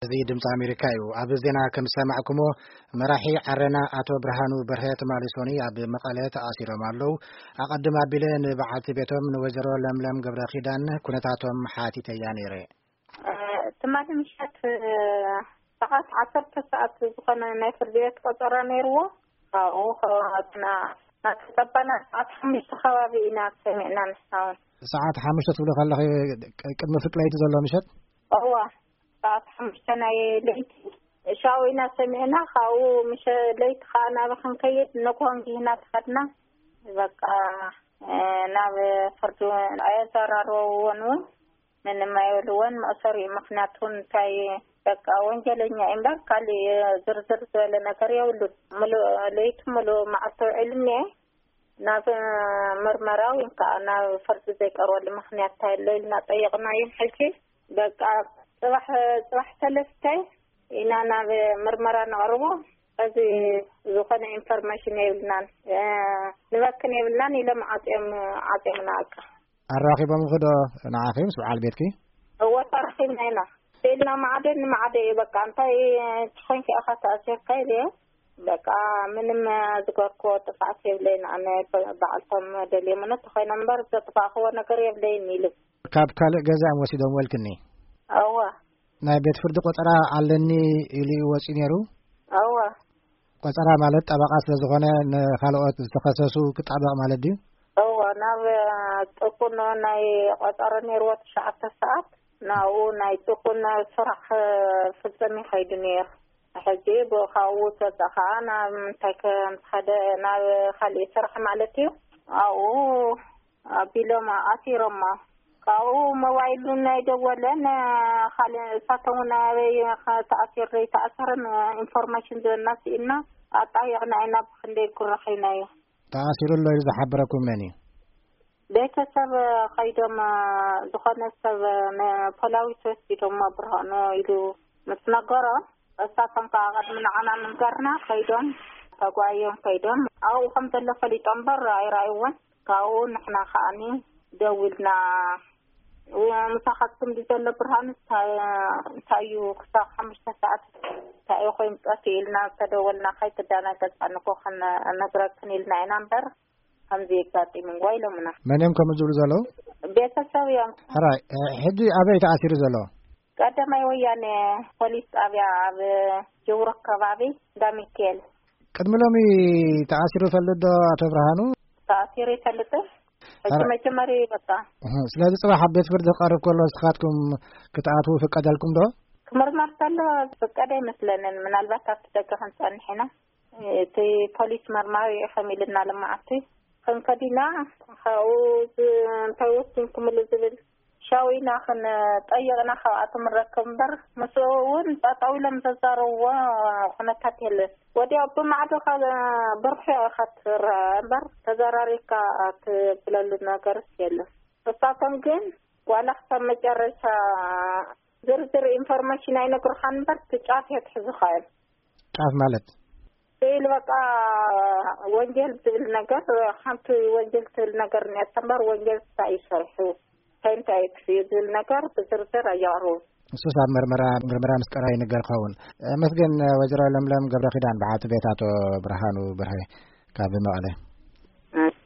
እዚ ድምፂ ኣሜሪካ እዩ። ኣብ ዜና ከም ዝሰማዕኩሞ፣ መራሒ ዓረና ኣቶ ብርሃኑ በርሀ ትማሊ ሶኒ ኣብ መቐለ ተኣሲሮም ኣለዉ። ኣቐድም ኣቢለ ንበዓልቲ ቤቶም ንወይዘሮ ለምለም ገብረ ኪዳን ኩነታቶም ሓቲተያ ነይረ። እ፣ ትማሊ ምሸት፣ እ፣ ሰዓት ዓሰርተ ሰዓት ዝኾነ ናይ ፍርዲ ቤት ቆጸራ ነይርዎ። ካብኡ ከ-፣ ናተጸባና ሰዓት ሓሙሽተ ከባቢ ኢና ሰሚዕና ንሕና እውን። ሰዓት ሓሙሽተ ትብሊ ከለኺ፣ ቅ-፣ ቅድሚ ፍርቂ ለይቲ ዘሎ ምሸት? እዋ፣ ሰዓት ሓሙሽተ ናይ ለይቲ ሻው ኢና ሰሚዕና። ካብኡ ምሸ ለይቲ ከዓ ናብ ክንከይድ ንግሆ እንጊህና ተኸድና። በቃ፣ እ፣ ናብ ፍርዲ ኣየዘራረብዎን እውን ምንም ኣይብልዎን። መእሰሪ ምኽንያት እውን እንታይ፣ በቃ ወንጀለኛ እዩ እምበር ካሊእ ዝርዝር ዝበለ ነገር የብሉን። ምሉእ ለይቲ ምሉእ መዓልቲ ውዒሉ እኒአ። ናብ ምርመራ ወይ ከዓ ናብ ፍርዲ ዘይቀርበሉ ምኽንያት እንታይ ኣሎ ኢልና ጠየቕናዮም። ሕጂ በቃ ጽባሕ፣ ጽባሕ ሰለስተ ኢና ናብ ምርመራ ነቕርቦ። እዚ ዝኾነ ኢንፎርሜሽን የብልናን፣ እ፣ ንበክን የብልናን ኢሎም ዓጽዮም፣ ዓጽዮምና በቃ። ኣራኺቦምኺ ዶ ንዓኺ ምስ በዓል ቤትኪ? እወ፣ ተራኺብና ኢና። ኢልና ማዕደ ንማዕደ እዩ በቃ። እንታይ ችኾንኪ ኢኻ ተኣሲርካ ኢለ። በቃ ምንም ዝገርክዎ ጥፍኣት የብለይን። ኣነ በ-፣ በዓልቶም ደልዮምኒ ተኾይኖም እምበር ዘጥፋእክዎ ነገር የብለይን ኢሉ። ካብ ካልእ ገዛ እዮም ወሲዶም ወልክኒ? እወ። ናይ ቤት ፍርዲ ቆጸራ ኣለኒ ኢሉ እዩ ወጺኡ ነይሩ? እወ። ቆጸራ ማለት ጠበቓ ስለ ዝኾነ ንኻልኦት ዝተኸሰሱ ክጣበቕ ማለት ድዩ? እወ፣ ናብ ጥቁኖ ናይ ቆጸራ ነይርዎ ትሽዓተ ሰዓት፣ ናብኡ ናይ ጥቁኖ ስራሕ ፍጽም ይኸይዱ ነይሩ። ሕጂ ብኡ ካብኡ ዝወጸ ኸዓ ናብ ምንታይ ከም ዝኸደ፣ ናብ ካሊእ ስራሕ ማለት እዩ። ኣብኡ ኣቢሎም ኣሲሮሞ። ካብኡ ሞባይሉ ናይ ደወለን፣ ካልእ እሳቶም እውን ኣበይ ተኣሲሩ ዘይተኣሰረን ኢንፎርሜሽን ዝህበና ስኢንና ኣጣየቕና ኢና። ብኽንደይ ጉራ ኸይናዮ። ተኣሲሩ ኣሎ ኢሉ ዝሓበረኩም መን እዩ? ቤተሰብ ኸይዶም፣ ዝኾነ ሰብ ንፖላዊስ ወሲዶሞ ብርሃኑ ኢሉ ምስ ነገሮም፣ እሳቶም ከዓ ቅድሚ ንዓና ምንጋርና ከይዶም፣ ተጓዮም ከይዶም፣ ኣብኡ ከም ዘሎ ፈሊጦም እምበር ኣይረኣይዎን። ካብኡ ንሕና ከዓኒ ደዊልና፣ "ምሳኻትኩም ድዩ ዘሎ ብርሃኑ? እንታይ፣ እንታይ እዩ ክሳብ ሓሙሽተ ሰዓት እንታይ እዩ ኮይኑ ጠፊኡ?" ኢልና ዝተደወልና፣ "ከይትደናገጻ፣ ንጎ ክንነግረክን" ኢልና ኢና እምበር፣ ከምዚ የጋጢም እንጓ ኢሎምና። መን እዮም ከምኡ ዝብሉ ዘለዉ? ቤተሰብ እዮም። ሕራይ፣ እ፣ ሕጂ ኣበይ ተኣሲሩ ዘሎ? ቀዳማይ ወያነ ፖሊስ ጣብያ ኣብ ጅውሮ ከባቢ እንዳ ሚካኤል። ቅድሚ ሎሚ ተኣሲሩ ይፈልጥ ዶ ኣቶ ብርሃኑ? ተኣሲሩ ይፈልጥ። ሕጂ ሕራይ። መጀመሪ በቃ። እህ፣ ስለዚ ጽባሕ ኣብ ቤት ፍርዲ ክቐርብ ከሎ ንስኻትኩም ክትኣትዉ ይፍቀደልኩም ዶ? ክምርመር ከሎ ዝፍቀድ ኣይመስለንን። ምናልባት ኣብቲ ደገ ክንጸንሕ ኢና። እቲ ፖሊስ መርማሪ እዩ ከም ኢልና ልመዓቲ ክንከድ ኢና። ካብኡ ዝ-፣ እንታይ ወሲንኩምሉ ዝብል ሻው ኢና ክንጠይቕና ካብኣቶም ንረክብ እምበር፣ ምስኡ እውን ጠጠው ኢሎም ዘዛረብዎ ኩነታት የለን። ወዲያው ብማዕዶ ካብ ብርሑ ኢኻ ትረአ እምበር፣ ተዘራሪብካ ትብለሉ ነገርስ የለን። እሳቶም ግን ዋላ ክሳብ መጨረሻ ዝርዝር ኢንፎርሜሽን ኣይነግሩኻን እምበር፣ እቲ ጫፍ የትሕዙኻ እዮም። ጫፍ ማለት? ስኢል በቃ ወንጀል ዝብል ነገር፣ ሓንቲ ወንጀል ትብል ነገር እኒኣታ እምበር፣ ወንጀል እንታይ እዩ ሰሪሑ፣ እንታይ እንታይ እዩ ክፍዩ ዝብል ነገር ብዝርዝር ኣየቕርቡን። እሱስ ኣብ ምርመራ፣ ምርመራ ምስ ቀረበ ይንገር ክኸውን። መስገን ወይዘሮ ለምለም ገብረ ኪዳን፣ በዓልቲ ቤት ኣቶ ብርሃኑ በርሀ ካብ መቐለ። እሺ።